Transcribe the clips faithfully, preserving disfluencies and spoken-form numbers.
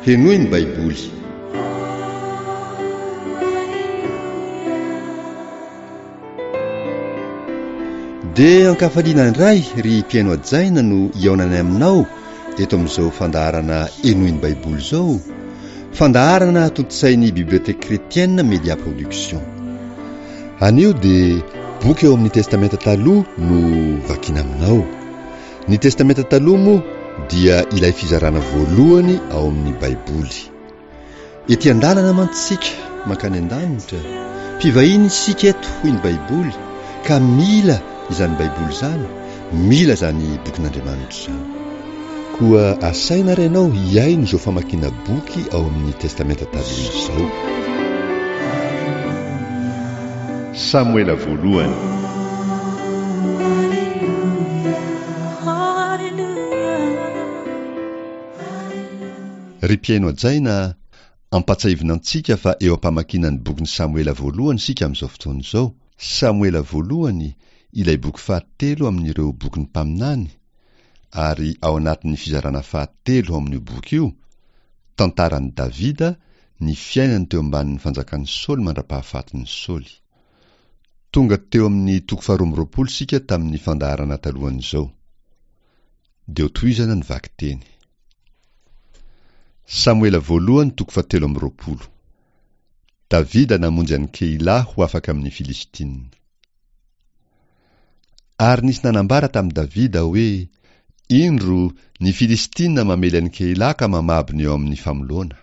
Henoy ny Baiboly. Dia ankafaliana indray ry mpihaino hajaina no hihaonanay aminao eto amin'izao fandaharana Henoy ny Baiboly izao, fandaharana tontosain'ny Bibliothèque Chrétienne Media Production. Anio dia boky eo amin'ny Testamenta Taloha no vakiana aminao. Ny Testamenta Taloha moa dia ilay fizarana voalohany ao amin'ny Baiboly. Ety an-dalana mantsy isika mankany an-danitra, mpivahiny isika eto hoy ny Baiboly ka mila izany Baiboly izany, mila izany bokin'Andriamanitra izany. Koa asaina ary ianao hihaino izao famakiana boky ao amin'ny Testamenta Taloha izao. Samoela voalohany. Ry mpihaino hajaina, ampatsahivina antsika fa eo am-pamakiana ny bokin'i Samoela voalohany isika amin'izao fotoana izao. Samoela voalohany, ilay boky fahatelo amin'ireo bokin'ny mpaminany, ary ao anatin'ny fizarana fahatelo ao amin'io boky io, tantaran'i Davida, ny fiainany teo ambanin'ny fanjakan'i Saoly mandra-pahafatin'i Saoly. Tonga teo amin'ny toko faharoa amby roapolo isika tamin'ny fandaharana talohan'izao. Dia hotohizana ny vakiteny. Samoela voalohany toko fahatelo amby roapolo. Davida namonjy an'i Keila ho afaka amin'ny Filistina. Ary nisy nanambara tamin'i Davida hoe, Indro, ny Filistina mamely an'i Keila ka mamabo ny eo amin'ny famoloana.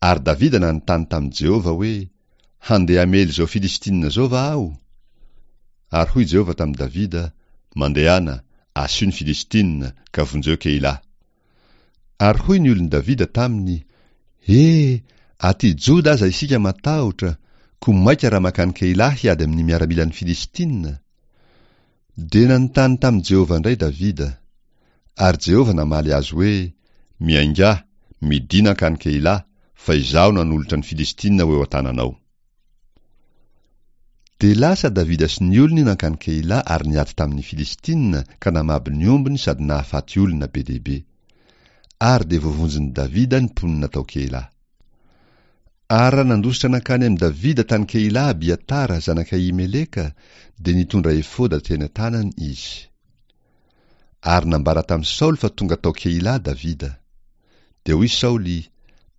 Ary Davida nanontany tamin'i Jehovah hoe, Handeha hamely izao Filistina izao va aho? Ary hoy Jehovah tamin'i Davida, Mandehana, asio ny Filistina, ka vonjeo Keila. Ary hoy ny olon'i Davida taminy, He, aty Joda aza isika matahotra, koa maika raha mankany Keila hiady amin'ny miaramilan'ny Filistina? Dia nanontany tamin'i Jehovah indray Davida. Ary Jehovah namaly azy hoe, Miaingà, midina hankany Keila, fa izaho nanolotra ny Filistina ho eo an-tananao. Dia lasa Davida sy ny olony nankany Keila ary niady tamin'ny Filistina ka namabo ny ombiny sady nahafaty olona be dia be. Ary dia voavonjin'i Davida ny mponina tao Keila. Ary raha nandositra nankany amin'i Davida tany Keila Abiatara zanak'i Ahimeleka, dia nitondra efoda teny an-tanany izy. Ary nambara tamin'i Saoly fa tonga tao Keila Davida. Dia hoy Saoly,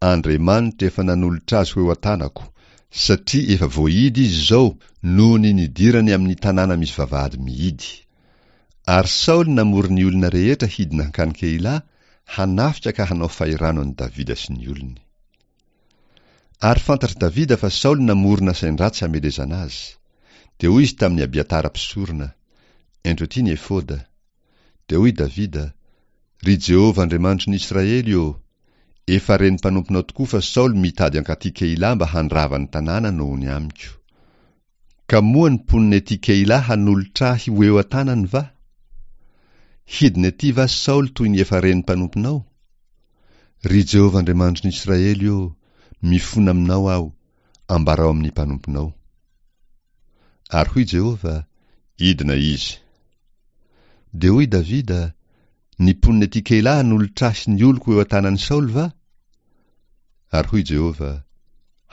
Andriamanitra efa nanolotra azy ho eo an-tanako, satria efa voahidy izy izao noho ny nidirany amin'ny tanàna misy vavahady mihidy. Ary Saoly namory ny olona rehetra hidina hankany Keila, hanafika ka hanao fahirano an'i Davida sy ny olony. Ary fantatr'i Davida fa Saoly namorona sain-dratsy hamelezana azy. Dia hoy izy tamin'i Abiatara mpisorona, Ento aty ny efoda. Dia hoy Davida, Ry Jehovah Andriamanitry ny Israely ô, efa ren'ny mpanomponao tokoa fa Saoly mitady hankaty Keila mba handrava ny tanàna noho ny amiko. Ka moa ny mponina ety Keila hanolotra ahy ho eo an-tanany va? Hidina ety va Saoly toy ny efa ren'ny mpanomponao? Ry Jehovah Andriamanitry ny Israely ô, mifona aminao aho, ambarao amin'ny mpanomponao. Ary hoy Jehovah, Hidina izy. Dia hoy Davida, Ny mponina ety Keila hanolotra ahy sy ny oloko eo an-tanan'i Saoly va? Ary hoy Jehovah,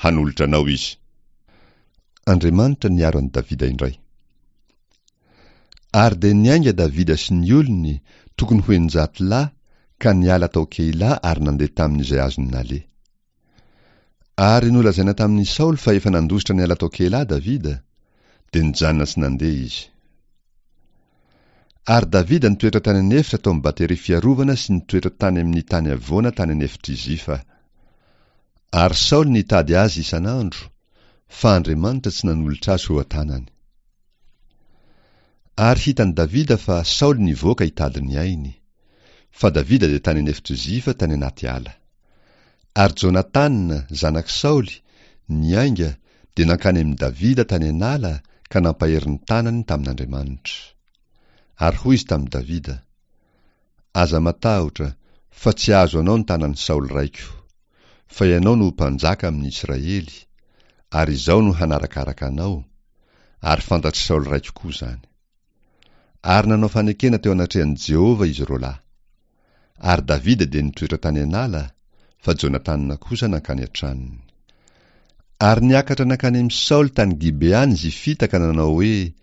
Hanolotra anao izy. Andriamanitra niaro an'i Davida indray. Ary dia niainga Davida sy ny olony, tokony ho eninjato lahy, ka niala tao Keila ary nandeha tamin'izay azony naleha. Ary nolazaina tamin'i Saoly fa efa nandositra niala tao Keila Davida, dia nijanona tsy nandeha izy. Ary Davida nitoetra tany an'efitra tao amin'ny bateria fiarovana sy nitoetra tany amin'ny tany havoana tany an'efitr'i Zifa. Ary Saoly nitady azy isan'andro, fa Andriamanitra tsy nanolotra azy ho eo an-tanany. Ary hitan'i Davida fa Saoly nivoaka hitady ny ainy. Fa Davida dia tany an'efitr'i Zifa tany anaty ala. Ary Jonatana, zanak'i Saoly, niainga, dia nankany amin'i Davida tany an'ala ka nampahery ny tanany tamin'Andriamanitra. Ary hoy izy tamin'i Davida, Aza matahotra, fa tsy hahazo anao ny tanan'i Saoly raiko. Fa ianao no ho mpanjaka amin'ny Israely, ary izaho no hanarakaraka anao, ary fantatr'i Saoly raiko koa izany. Ary nanao fanekena teo anatrehan'i Jehovah izy roa lahy. Ary Davida dia nitoetra tany an'ala, fa Jonatana kosa nankany an-tranony. Ary niakatra nankany amin'i Saoly tany Gibea ny Zifita ka nanao hoe,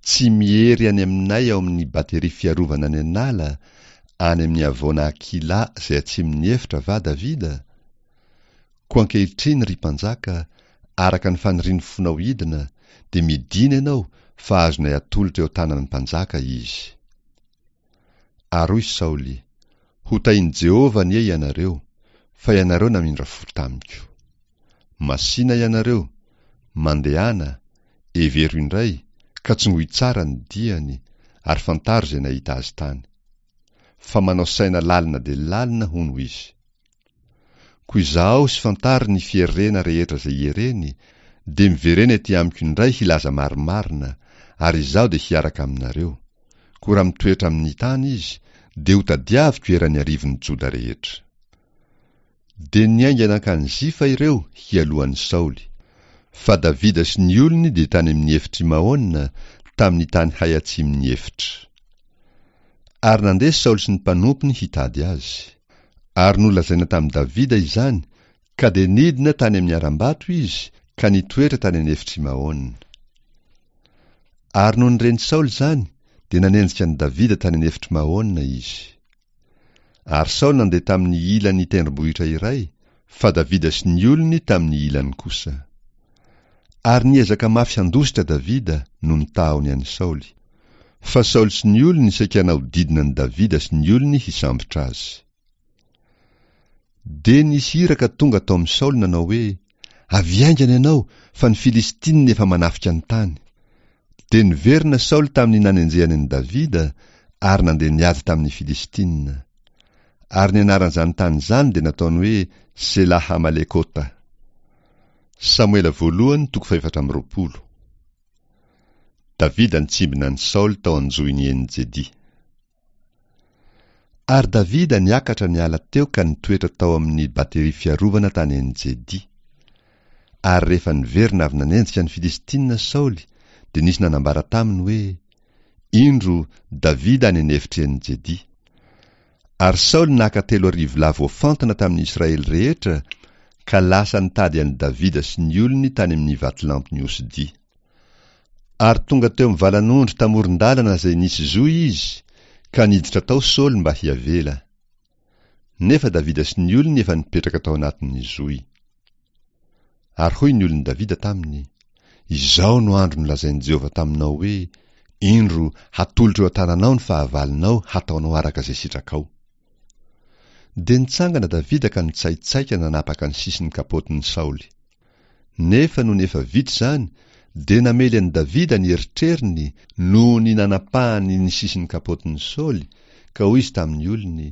Tsy miery any aminay ao amin'ny bateria fiarovana any an'ala, any amin'ny havoana Hakila izay atsimon'ny efitra va Davida? Koa ankehitriny, ry mpanjaka, araka ny fanirian'ny fonao hidina, dia midina ianao, fa azonay atolotra eo an-tanan'ny mpanjaka izy. Ary hoy Saoly, Hotahin'i Jehovah anie ianareo, fa ianareo namindra fo tamiko. Masìna ianareo, mandehana, hevero indray, ka tsongoy tsara ny diany, ary fantaro izay nahita azy tany. Fa manao saina lalina dia lalina, hono izy. Koa izahao sy fantaro ny fierena rehetra izay iereny, dia miverena ety amiko indray hilaza marimarina, ary izaho dia hiaraka aminareo. Koa raha mitoetra amin'ny tany izy, dia hotadiaviko eran'ny arivon'ny Joda rehetra. Dia niainga nankany Zifa ireo hialoha an'i Saoly. Fa Davida sy ny olony dia tany amin'ny efitr'i Maona, tamin'ny tany hay atsimon'ny efitra. Ary nandeha Saoly sy ny mpanompony hitady azy. Ary nolazaina tamin'i Davida izany, ka dia nidina tany amin'ny harambato izy, ka nitoetra tany an'efitr'i Maona. Ary nony ren'i Saoly izany, dia nanenjika an'i Davida tany an'efitr'i Maona izy. Ary Saoly nandeha tamin'ny ilan'ny tendrombohitra iray, fa Davida sy ny olony tamin'ny ilany kosa. Ary niezaka mafy handositra Davida noho ny tahony an'i Saoly. Fa Saoly sy ny olony saika nahodidina an'i Davida sy ny olony hisambotra azy. Dia nisy iraka tonga tao amin'i Saoly nanao hoe, Avy haingana ianao, fa ny Filistinina efa manafika ny tany. Dia niverina Saoly tamin'ny nanenjehany an'i Davida, ary nandeha niady tamin'ny Filistinina. Ary ny anaran'izany tany izany dia nataony hoe Sela-Hamalekota. Samoela voalohany toko fahefatra amby roapolo. Davida nitsimbina an'i Saoly tao an-johin'i En-Jedy. Ary Davida niakatra niala teo ka nitoetra tao amin'ny bateria fiarovana tany En-Jedy. Ary rehefa niverina avy nanenjika ny Filistinina Saoly, dia nisy nanambara taminy hoe, Indro, Davida any an'efitr'i En-Jedy. Ary Saoly naka telo arivo lahy voafantina tamin'ny Israely rehetra, ka lasa nitady an'i Davida sy ny olony tany amin'ny vatolampin'ny osidia. Ary tonga teo amin'ny valan'ondry tamoron-dalana izay nisy zohy izy, ka niditra tao Saoly mba hiavela. Nefa Davida sy ny olony efa nipetraka tao anatin'ny zohy. Ary hoy ny olon'i Davida taminy, Izao no andro nolazain'i Jehovah taminao hoe, Indro, hatolotro eo an-tananao ny fahavalonao hataonao araka izay sitrakao. Dia nitsangana Davida ka nitsaitsaika nanapaka ny sisin'ny kapotin'i Saoly. Nefa nony efa vita izany, dia namely an'i Davida ny eritreriny noho ny nanapahany ny sisin'ny kapotin'i Saoly, ka hoy izy tamin'ny olony,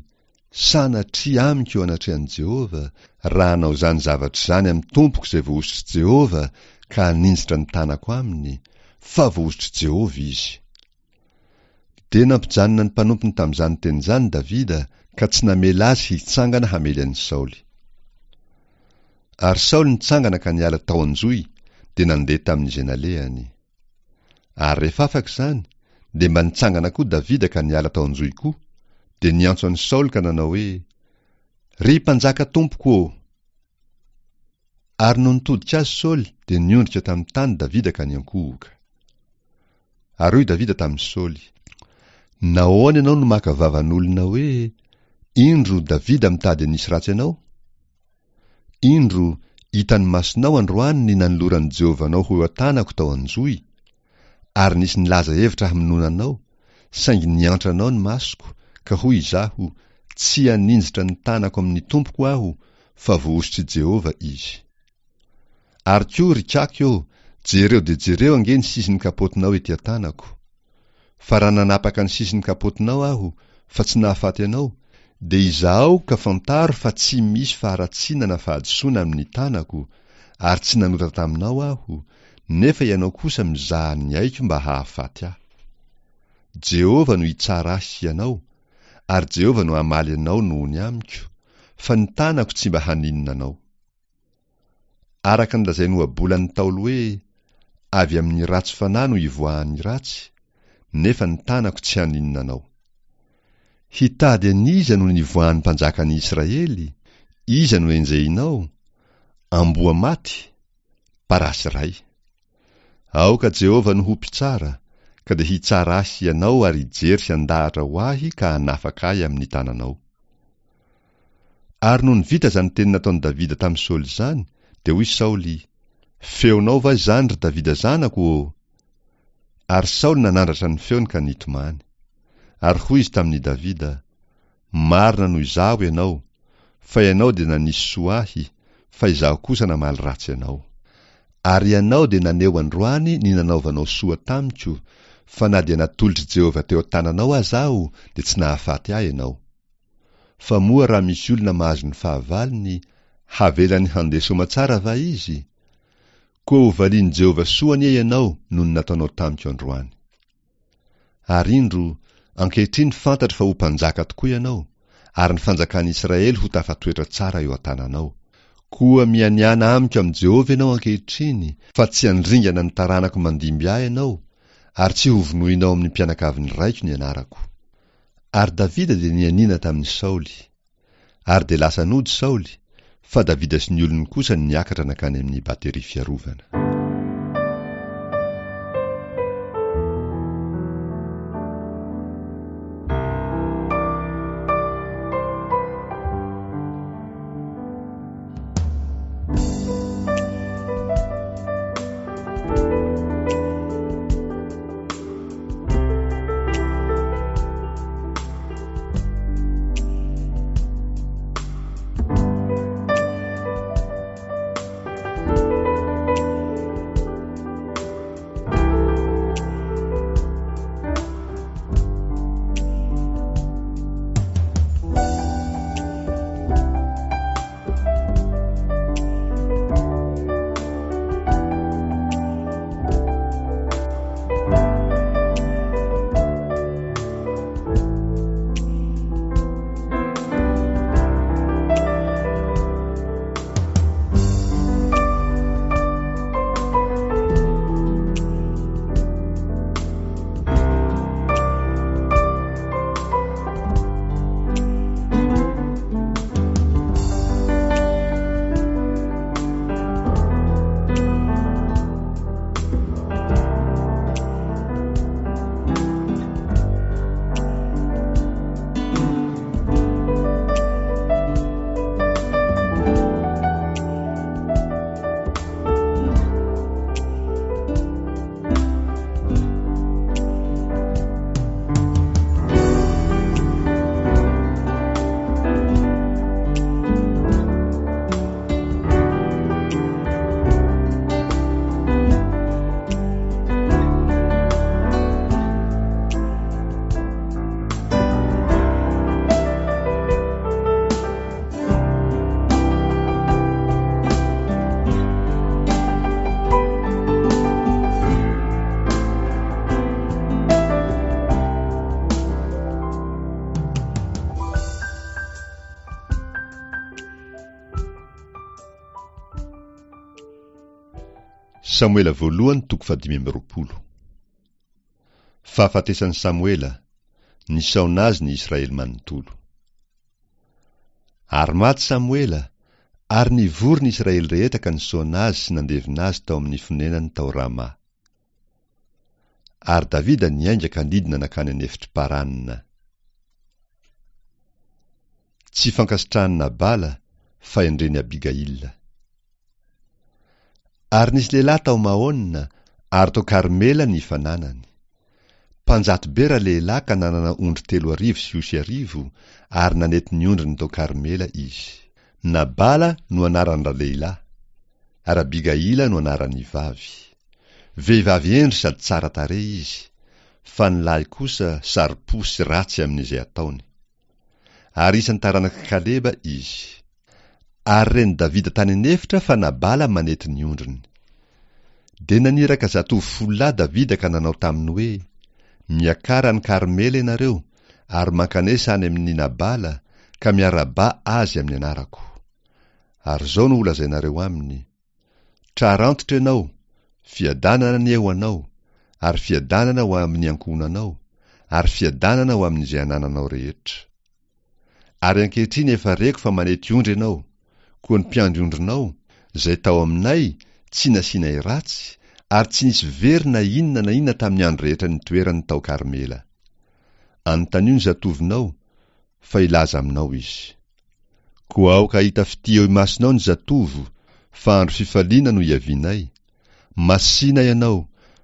Sanatria amiko eo anatrehan'i Jehovah, raha hanao izany zavatra izany amin'ny tompoko izay voahosotr'i Jehovah ka haninjitra ny tanako aminy, fa voahosotr'i Jehovah izy. Dia nampijanona ny mpanompony tamin'izany teny izany Davida, ka tsy namela azy hitsangana hamely an'i Saoly. Ary Saoly nitsangana ka niala tao an-johy, dia nandeha tamin'izay nalehany. Ary rehefa afaka izany, dia mba nitsangana koa Davida ka niala tao an-johy koa, dia niantso an'i Saoly ka nanao hoe, Ry mpanjaka tompoko ô! Ary nony nitodika azy Saoly, dia niondrika tamin'ny tany Davida ka niankohoka. Ary hoy Davida tamin'i Saoly, Nahoana ianao no maka vavan'olona hoe, Indro Davida mitady hanisy ratsy anao? Indro, hitan'ny masonao androany ny nanoloran'i Jehovah anao ho eo an-tanako tao an-johy, ary nisy nilaza hevitra hamonoana anao, saingy niantra anao ny masoko, ka hoy izaho, Tsy haninjitra ny tanako amin'ny tompoko aho, fa voahosotr'i Jehovah izy. Ary koa, ry kaky ô, jereo dia jereo ange ny sisin'ny kapotinao ety an-tanako. Fa raha nanapaka ny sisin'ny kapotinao aho, fa tsy nahafaty anao, dia izahao ka fantaro fa tsy misy faharatsiana na fahadisoana amin'ny tanako, ary tsy nanota taminao aho, nefa ianao kosa mizaha ny aiko mba hahafaty ahy. Jehovah no hitsara ahy sy ianao, ary Jehovah no hamaly anao noho ny amiko, fa ny tanako tsy mba haninona anao. Araka ny lazain'ny ohabolan'ny Ntaolo hoe, Avy amin'ny ratsy fanahy no ivoahan'ny ratsy, nefa ny tanako tsy haninona anao. Hitady an'iza no nivoahan'ny mpanjakan'ny Israely? Iza no enjehinao? Amboa maty? Parasy iray. Aoka Jehovah no ho mpitsara, ka dia hitsara ahy sy ianao ary hijery sy handahatra ho ahy ka hanafaka ahy amin'ny tananao. Ary nony vita izany teny nataon'i Davida tamin'i Saoly izany, dia hoy Saoly, Feonao va izany, ry Davida zanako ô? Ary Saoly nanandratra ny feony ka nitomany. Ary hoy izy tamin'i Davida, Marina noho izaho ianao, fa ianao dia nanisy soa ahy, fa izaho kosa namaly ratsy anao. Ary ianao dia naneho androany ny nanaovanao soa tamiko, fa na dia natolotr'i Jehovah teo an-tananao aza aho, dia tsy nahafaty ahy ianao. Fa moa raha misy olona mahazo ny fahavalony, havelany handeha soamatsara va izy? Koa hovalian'i Jehovah soa anie ianao noho ny nataonao tamiko androany. Ary indro, ankehitriny fantatro fa ho mpanjaka tokoa ianao, ary ny fanjakan'i Israely ho tafatoetra tsara eo an-tananao. Koa mianiàna amiko amin'i Jehovah ianao ankehitriny, fa tsy handringana ny taranako mandimby ahy ianao, ary tsy hovonoinao amin'ny mpianakavin'ny raiko ny anarako. Ary Davida dia nianiana tamin'i Saoly. Ary dia lasa nody Saoly, fa Davida sy ny olony kosa niakatra nankany amin'ny bateria fiarovana. Samoela voalohany toko fahadimy amby roapolo. Fahafatesan'i Samoela, nisaona azy ny Israely manontolo. Ary maty Samoela, ary nivory ny Israely rehetra ka nisaona azy sy nandevina azy tao amin'ny fonenany tao Rama. Ary Davida niainga ka nidina nankany an'efitr'i Parana. Tsy fankasitrahan'i Nabala, fahendren'i Abigaila. Ary nisy lehilahy tao Maona, ary tao Karmela ny fananany. Mpanjato be ralehilahy ka nanana ondry telo arivo sy osy arivo, ary nanety ny ondriny tao Karmela izy. Nabala no anaran-dralehilahy, ary Abigaila no anaran'ny vavy. Vehivavy hendry sady tsara tarehy izy, fa ny lahy kosa saro-po sy ratsy amin'izay ataony. Ary isan'ny taranak'i Kaleba izy. Ary ren'i Davida tany an'efitra fa Nabala manety ny ondriny. Dia naniraka zatovo folo lahy Davida ka nanao taminy hoe, Miakara any Karmela ianareo, ary mankanesa any amin'i Nabala, ka miarahaba azy amin'ny anarako. Ary izao no holazainareo aminy, Trarantitra ianao, fiadanana anie ho anao, ary fiadanana ho amin'ny ankohonanao, ary fiadanana ho amin'izay anananao rehetra. Ary ankehitriny efa reko fa manety ondry ianao, Koa ny mpiandry ondrinao, izay tao aminay, tsy nasianay ratsy, ary tsy nisy very na inona na inona tamin'ny andro rehetra nitoerany tao Karmela. Anontanio ny zatovonao, fa hilaza aminao izy. Koa aoka hahita fitia eo imasonao ny zatovo, fa andro fifaliana no iavianay. Masìna ianao,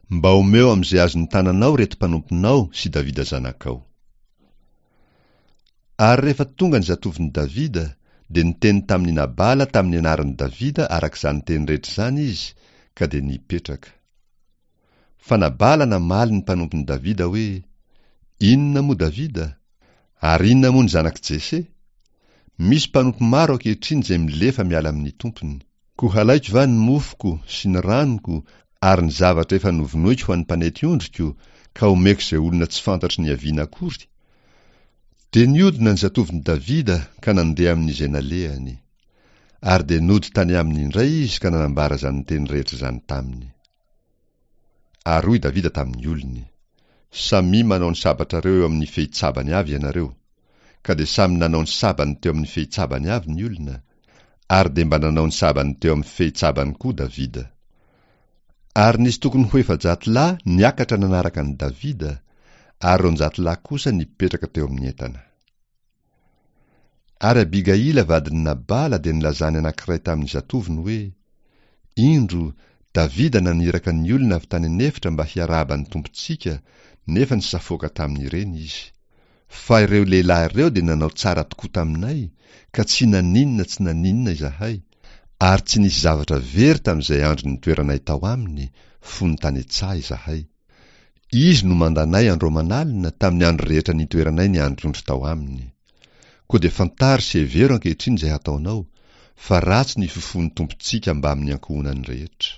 mba omeo amin'izay azon'ny tananao ireto mpanomponao sy Davida zanakao. Ary rehefa tonga ny zatovon'i Davida, dia niteny tamin'i Nabala tamin'ny anaran'i Davida araka izany teny rehetra izany izy, ka dia nipetraka. Fa Nabala namaly ny mpanompon'i Davida hoe, Inona moa Davida? Ary inona moa ny zanak'i Jese? Misy mpanompo maro ankehitriny izay milefa miala amin'ny tompony. Koa halaiko va ny mofoko sy ny ranoko ary ny zavatra efa novonoiko ho an'ny mpanety ondriko, ka omeko izay olona tsy fantatro niaviana akory? Dia niodina ny zatovon'i Davida ka nandeha amin'izay nalehany. Ary dia nody tany aminy indray izy ka nanambara izany teny rehetra izany taminy. Ary hoy Davida tamin'ny olony, Samia manao ny sabatrareo eo amin'ny fehitsabany avy ianareo. Ka dia samy nanao ny sabany teo amin'ny fehitsabany avy ny olona, ary dia mba nanao ny sabany teo amin'ny fehitsabany koa Davida. Ary nisy tokony ho efajato lahy niakatra nanaraka an'i Davida, ary roanjato lahy kosa nipetraka teo amin'ny entana. Ary Abigaila vadin'i Nabala dia nilazany anankiray tamin'ny zatovony hoe, Indro, Davida naniraka ny olona avy tany an'efitra mba hiarahaba ny tompontsika, nefa nisafoaka tamin'ireny izy. Fa ireo lehilahy ireo dia nanao tsara tokoa taminay, ka tsy naninona tsy naninona izahay, ary tsy nisy zavatra very tamin'izay andro nitoeranay tao aminy, fony tany an-tsaha izahay. Izy no mandanay andro aman'alina tamin'ny andro rehetra nitoeranay niandry ondry tao aminy. Koa dia fantaro sy hevero ankehitriny izay hataonao, fa ratsy ny fifon'ny tompontsika mbamin'ny ankohonany rehetra.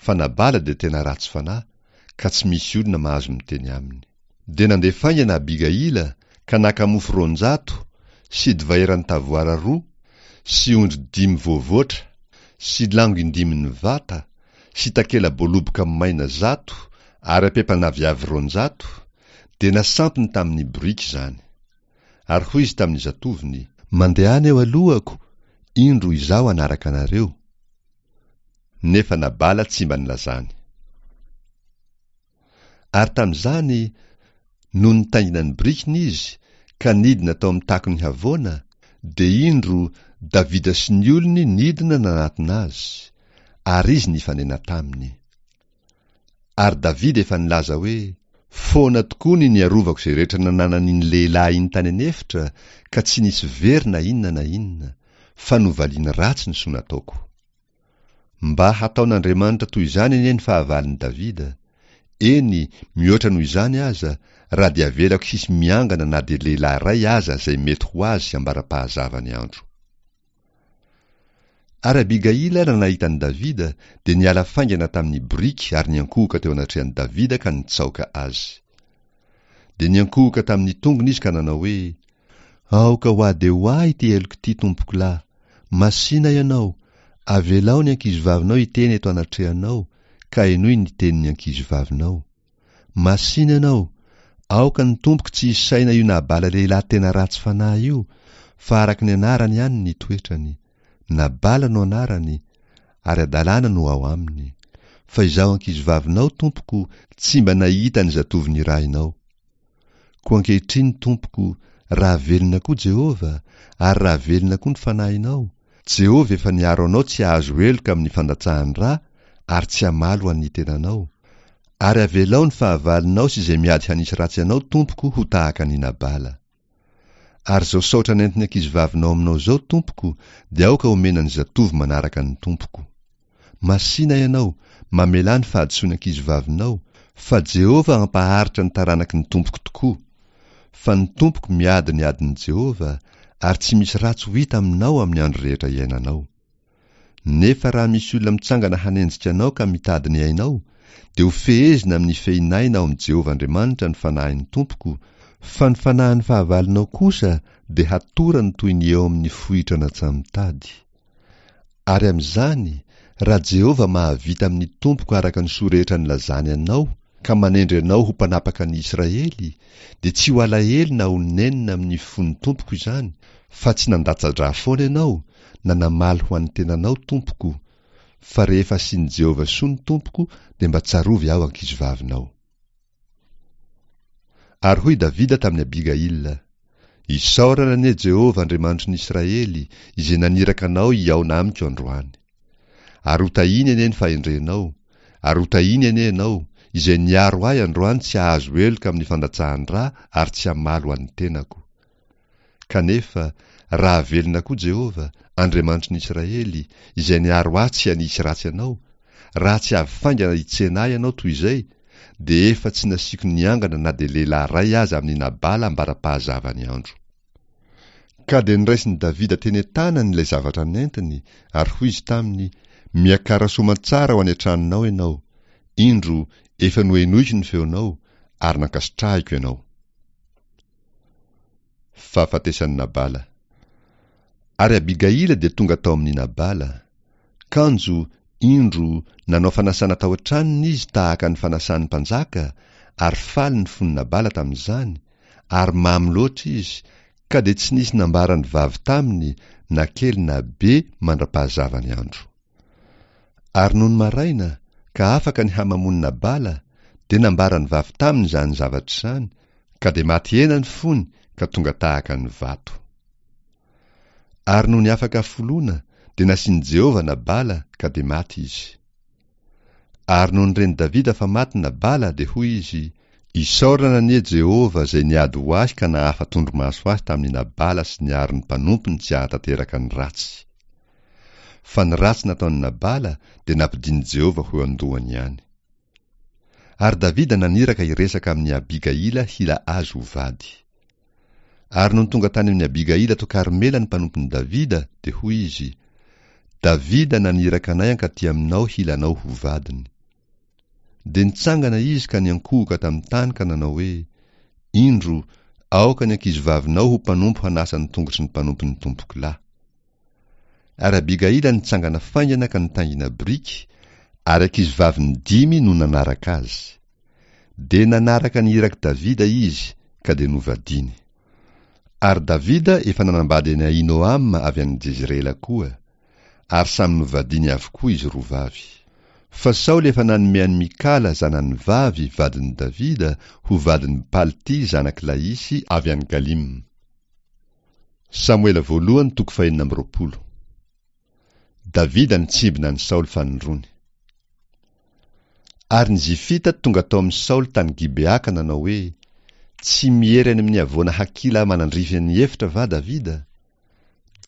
Fa Nabala dia tena ratsy fanahy, ka tsy misy olona mahazo miteny aminy. Dia nandeha faingana Abigaila ka naka mofo roanjato sy divay eran'ny tavoara roa sy ondry dimy voavoatra sy lango indimin'ny vata sy takela-boaloboka maina zato ary ampempan'aviavy roanjato, dia nasampiny tamin'ny boriky izany. Ary hoy izy tamin'ny zatovony, Mandehana eo alohako, indro izaho hanaraka anareo. Nefa Nabala tsy mba nilazany. Ary tamin'izany, nony nitaingina ny borikiny izy, ka nidina tao amin'ny takon'ny havoana, dia indro, Davida sy ny olony nidina nanatona azy, ary izy nifanena taminy. Ary Davida efa nilaza hoe, Foana tokoa ny niarovako izay rehetra nananan'iny lehilahy iny tany an'efitra, ka tsy nisy very na inona na inona, fa novaliany ratsy ny soa nataoko. Mba hataon'Andriamanitra toy izany anie ny fahavalon'i Davida, eny, mihoatra noho izany aza, raha dia avelako hisy miangana na dia lehilahy iray aza izay mety ho azy ambara-pahazavany andro. Ary Abigaila raha nahita an'i Davida, dia niala faingana tamin'ny boriky ary niankohoka teo anatrehan'i Davida ka nitsaoka azy. Dia niankohoka tamin'ny tongony izy ka nanao hoe, Aoka ho ahy dia ho ahy ity heloka ity, tompokolahy. Masìna ianao, avelao ny ankizivavinao hiteny eto anatrehanao, ka henoy ny tenin'ny ankizivavinao. Masìna ianao, aoka ny tompoko tsy hisaina io Nabala lehilahy tena ratsy fanahy io, fa araka ny anarany ihany ny toetrany. Nabala no anarany, ary hadalana no ao aminy. Fa izaho ankizivavinao, tompoko, tsy mba nahita ny zatovo nirahinao. Koa ankehitriny, tompoko, raha velona koa Jehovah, ary raha velona koa ny fanahinao, Jehovah efa niaro anao tsy hahazo heloka amin'ny fandatsahan-dra ary tsy hamaly ho an'ny tenanao. Ary avelao ny fahavalonao sy izay miady hanisy ratsy anao, tompoko, ho tahaka an'i Nabala. Ary izao saotra nentin'ny ankizivavinao aminao izao, tompoko, dia aoka homena ny zatovo manaraka ny tompoko. Masìna ianao, mamelà ny fahadisoan'ny ankizivavinao, fa Jehovah hampaharitra ny taranaky ny tompoko tokoa. Fa ny tompoko miady ny adin'i Jehovah, ary tsy misy ratsy ho hita aminao amin'ny andro rehetra iainanao. Nefa raha misy olona mitsangana hanenjika anao ka mitady ny ainao, dia ho fehezina amin'ny fehin'aina ao amin'i Jehovah Andriamanitra ny fanahin'ny tompoko, fa ny fanahin'ny fahavalonao kosa dia hatorany toy ny eo amin'ny fohitra natsamitady. Ary amin'izany, raha Jehovah mahavita amin'ny tompoko araka ny soa rehetra nilazany anao ka manendry anao ho mpanapaka ny Israely, dia tsy ho alahelo na ho nenina amin'ny fon'ny tompoko izany, Fa tsy nandatsa-drà foana ianao, na namaly ho an'ny tenanao, tompoko, fa rehefa asian'i Jehovah soa ny tompoko, dia mba tsarovy aho ankizivavinao. Ary hoy Davida tamin'i Abigaila, Isaorana anie Jehovah Andriamanitry ny Israely, izay naniraka anao hihaona amiko androany. Ary hotahiny anie ny fahendrenao, ary hotahiny anie ianao, izay niaro ahy androany tsy hahazo heloka amin'ny fandatsahan-drà ary tsy hamaly ho an'ny tenako. Kanefa, raha velona koa Jehovah, Andriamanitry ny Israely, izay niaro ahy tsy hanisy ratsy anao, raha tsy avy faingana hitsena ahy ianao toy izay, dia efa tsy nasiako niangana na dia lehilahy iray aza amin'i Nabala ambara-pahazavan'ny andro. Ka dia noraisin'i Davida teny an-tanany ilay zavatra nentiny, ary hoy izy taminy, Miakara soamantsara ho any an-tranonao ianao. Indro, efa nohenoiko ny feonao, ary nankasitrahiko ianao. Fahafatesan'i Nabala. Ary Abigaila dia tonga tao amin'i Nabala. Kanjo, indro, nanao fanasana tao an-tranony izy tahaka ny fanasan'ny mpanjaka, ary faly ny fon'i Nabala tamin'izany, ary mamo loatra izy, ka dia tsy nisy nambaran'ny vavy taminy na kely na be mandra-pahazavan'ny andro. Ary nony maraina, ka afaka ny hamamoan'i Nabala, dia nambaran'ny vavy taminy izany zavatra izany, ka dia maty hena ny fony ka tonga tahaka ny vato. Ary nony afaka hafoloana, dia nasian'i Jehovah Nabala, ka dia maty izy. Ary nony ren'i Davida fa maty Nabala, dia hoy izy, Isaorana anie Jehovah izay niady ho ahy ka nahafa-tondromaso ahy tamin'i Nabala sy niaro ny mpanompony tsy hahatanteraka ny ratsy. Fa ny ratsy nataon'i Nabala dia nampidin'i Jehovah ho eo an-dohany ihany. Ary Davida naniraka hiresaka amin'i Abigaila hila azy ho vady. Ary nony tonga tany amin'i Abigaila tao Karmela ny mpanompon'i Davida, dia hoy izy, Davida naniraka anay hankaty aminao hila anao ho vadiny. Dia nitsangana izy ka niankohoka tamin'ny tany ka nanao hoe, Indro, aoka ny ankizivavinao ho mpanompo hanasa ny tongotry ny mpanompon'ny tompoko lahy. Ary Abigaila nitsangana faingana ka nitaingina biriky, ary ankizivaviny dimy no nanaraka azy. Dia nanaraka ny irak'i Davida izy, ka dia novadiany. Ary Davida efa nanambady an'i Ahinoama avy any Jezirela koa, ary samy novadiany avokoa izy roa vavy. Fa Saoly efa nanome an'i Mikala zanany vavy vadin'i Davida ho vadin'i Palty zanak'i Laisy avy any Galim. Samoela voalohany toko fahenina amby roapolo. Davida nitsimbina an'i Saoly fanindroany. Ary ny Zifita tonga tao amin'i Saoly tany Gibea ka nanao hoe, Tsy miery any amin'ny havoana Hakila manandrify ny efitra va Davida?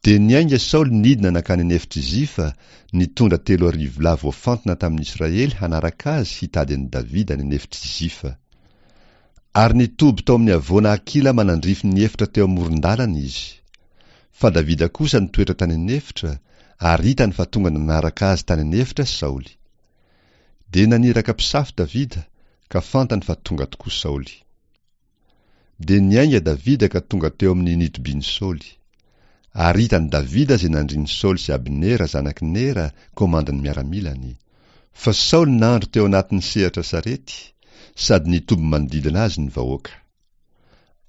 Dia niainga Saoly nidina nankany an'efitr'i Zifa, nitondra telo arivo lahy voafantina tamin'ny Israely hanaraka azy hitady an'i Davida any an'efitr'i Zifa. Ary nitoby tao amin'ny havoana Hakila manandrify ny efitra teo amoron-dalana izy. Fa Davida kosa nitoetra tany an'efitra, ary hitany fa tonga nanaraka azy tany an'efitra Saoly. Dia naniraka mpisafo Davida, ka fantany fa tonga tokoa Saoly. Dia niainga Davida ka tonga teo amin'ny nitobian'i Saoly. Ary hitan'i Davida izay nandrin'i Saoly sy Abnera zanak'i Nera, komandin'ny miaramilany. Fa Saoly nandro teo anatin'ny sehatra sarety, sady nitoby manodidina azy ny vahoaka.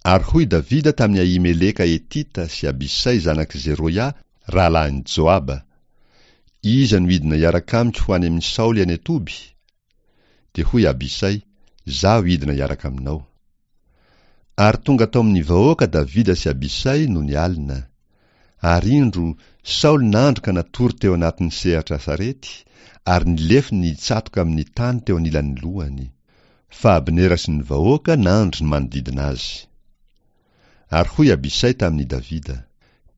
Ary hoy Davida tamin'i Ahimeleka Hetita sy Abisay zanak'i Zeroia, rahalahin'i Joaba, Iza no hidina hiaraka amiko ho any amin'i Saoly any an-toby? Dia hoy Abisay, Izaho hidina hiaraka aminao. Ary tonga tao amin'ny vahoaka Davida sy Abisay nony alina. Ary indro, Saoly nandro ka natory teo anatin'ny sehatra sarety, ary ny lefony nitsatoka amin'ny tany teo anilan'ny lohany. Fa Abnera sy ny vahoaka nandry manodidina azy. Ary hoy Abisay tamin'i Davida,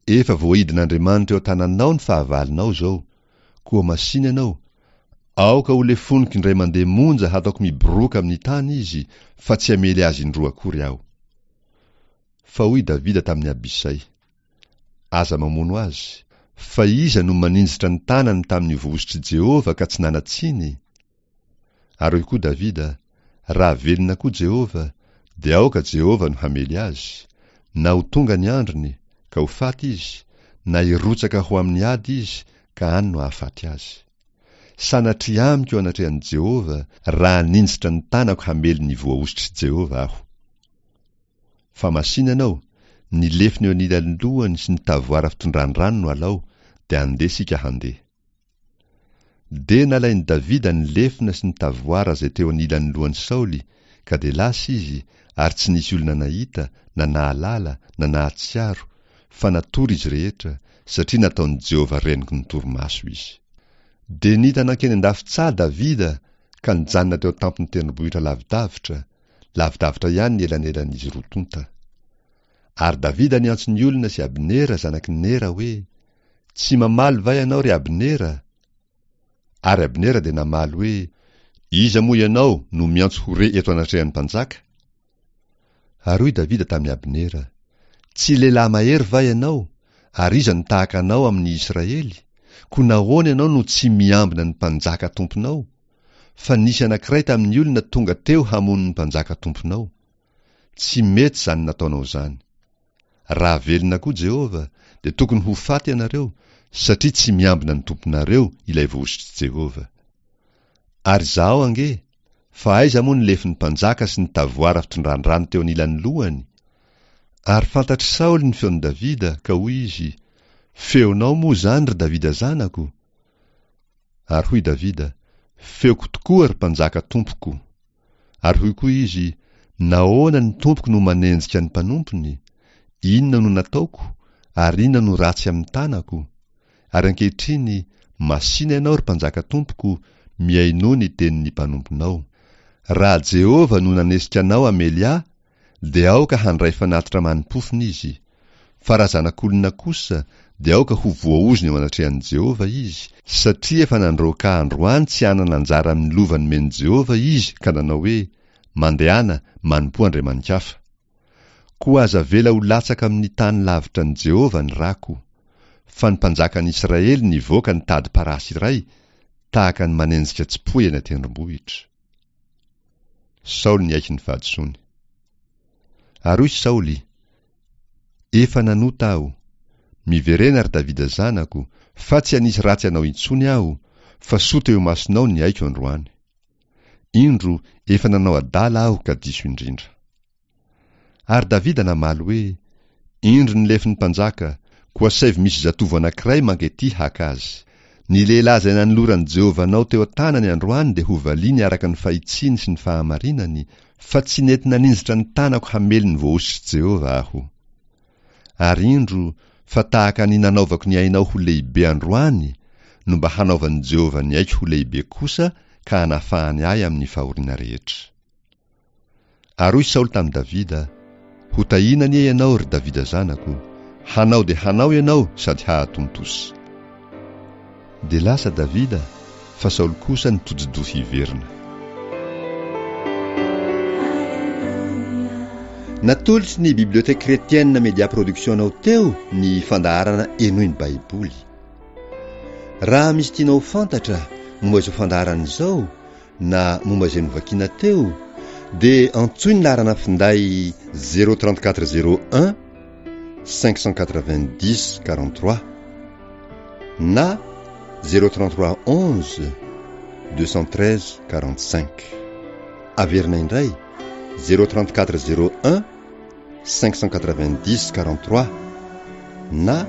Efa voaidin'Andriamanitra eo an-tananao ny fahavalonao izao, koa masìna ianao, aoka ho lefoniko indray mandeha monja hataoko miboroaka amin'ny tany izy, fa tsy hamely azy indroa akory aho. Fa hoy Davida tamin'i Abisay, Aza mamono azy, fa iza no maninjitra ny tanany tamin'ny voahosotr'i Jehovah ka tsy nanan-tsiny? Ary hoy koa Davida, Raha velona koa Jehovah, dia aoka Jehovah no hamely azy, na ho tonga ny androny, ka ho faty izy, na hirotsaka ho amin'ny ady izy, ka any no hahafaty azy. Sanatria amiko eo anatrehan'i Jehovah, raha haninjitra ny tanako hamely ny voahosotr'i Jehovah aho. Fa masìna ianao, Ny lefona eo anilan'ny lohany sy ny tavoara fitondrany rano no alao, dia andeha isika handeha. Dia nalain'i Davida ny lefona sy ny tavoara izay teo anilan'ny lohan'i Saoly, ka dia lasa izy, ary tsy nisy olona nahita, na nahalala, na nahatsiaro, fa natory izy rehetra, satria nataon'i Jehovah renoky ny torimaso izy. Dia nita nankeny an-dafy-tsaha Davida ka nijanona teo an-tampon'ny tendrombohitra lavidavitra, lavidavitra ihany ny elanelan'izy roa tonta. Ary Davida niantso ny olona sy Abnera zanak'i Nera hoe, Tsy mamaly va ianao, ry Abnera? Ary Abnera dia namaly hoe, Iza moa ianao no miantso ho re eto anatrehan'ny mpanjaka? Ary hoy Davida tamin'i Abnera, Tsy lehilahy mahery va ianao, ary iza no tahaka anao amin'ny Israely? Koa nahoana ianao no tsy miambina ny mpanjaka tomponao? Fa nisy anankiray tamin'ny olona tonga teo hamono ny mpanjaka tomponao. Tsy mety izany nataonao izany. Raha velona koa Jehovah, dia tokony ho faty ianareo, satria tsy miambina ny tomponareo ilay voahosotr'i Jehovah. Ary izahao ange, fa aiza moa ny lefon'ny mpanjaka sy ny tavoara fitondran-drano teo anilan'ny lohany? Ary fantatr'i Saoly ny feon'i Davida, ka hoy izy, Feonao moa izany, ry Davida zanako? Ary hoy Davida, Feoko tokoa, ry mpanjaka tompoko. Ary hoy koa izy, Nahoana ny tompoko no manenjika ny mpanompony? Inona no nataoko, ary inona no ratsy amin'ny tanako? Ary ankehitriny, masìna ianao, ry mpanjaka tompoko, mihainoa ny tenin'ny mpanomponao. Raha Jehovah no nanesika anao hamely ahy, dia aoka handray fanatitra mani-pofona izy. Fa raha zanak'olona kosa, dia aoka ho voaozona eo anatrehan'i Jehovah izy, satria efa nandroaka ahy androany tsy hanana anjara amin'ny lova nomen'i Jehovah izy ka nanao hoe, Mandehana, manompoa andriamani-kafa. Koa aza avela ho latsaka amin'ny tany lavitra an'i Jehovah ny rako. Fa ny mpanjakan'i Israely nivoaka nitady parasy iray, tahaka ny manenjika tsipoy eny an-tendrombohitra. Saoly niaiky ny fahadisoany. Ary hoy Saoly, Efa nanota aho. Miverena, ry Davida zanako, fa tsy hanisy ratsy anao intsony aho, fa soa teo imasonao ny aiko androany. Indro, efa nanao adala aho ka diso indrindra. Ary Davida namaly hoe, Indro ny lefon'ny mpanjaka, koa asaivo misy zatovo anankiray manketỳ haka azy. Ny lehilahy izay nanoloran'i Jehovah anao teo an-tanany androany dia hovaliany araka ny fahitsiany sy ny fahamarinany, fa tsy nety naninjitra ny tanako hamely ny voahosotr'i Jehovah aho. Ary indro, fa tahaka ny nanaovako ny ainao ho lehibe androany, no mba hanaovan'i Jehovah ny aiko ho lehibe kosa ka hanafahany ahy amin'ny fahoriana rehetra. Ary hoy Saoly tamin'i Davida, Hotahina anie ianao, ry Davida zanako! Hanao dia hanao ianao sady hahatontosa. Dia lasa Davida, fa Saoly kosa nitodi-doha hiverina. Natolotry ny Bibliothèque Chrétienne Media Production anao teo ny fandaharana Henoy ny Baiboly. Raha misy tianao ho fantatra momba izao fandaharana izao na momba izay novakina teo dia antsoy ny laharana finday zéro trente quatre zéro un cinq cent quatre-vingt-dix quarante-trois na zéro trente-trois onze deux cent treize quarante-cinq. Averina indray zéro trente-quatre zéro un cinq cent quatre-vingt-dix quarante-trois na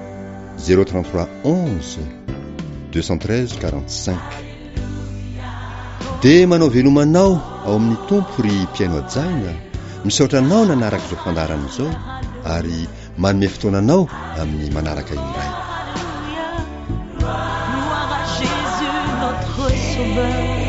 zéro trente-trois onze deux cent treize quarante-cinq. Dia manao veloma anao ao amin'ny Tompo ry mpihaino hajaina, misaotra anao nanaraka izao fandaharana izao ary manome fotoana anao amin'ny manaraka indray. Gloire à Jésus notre sauveur.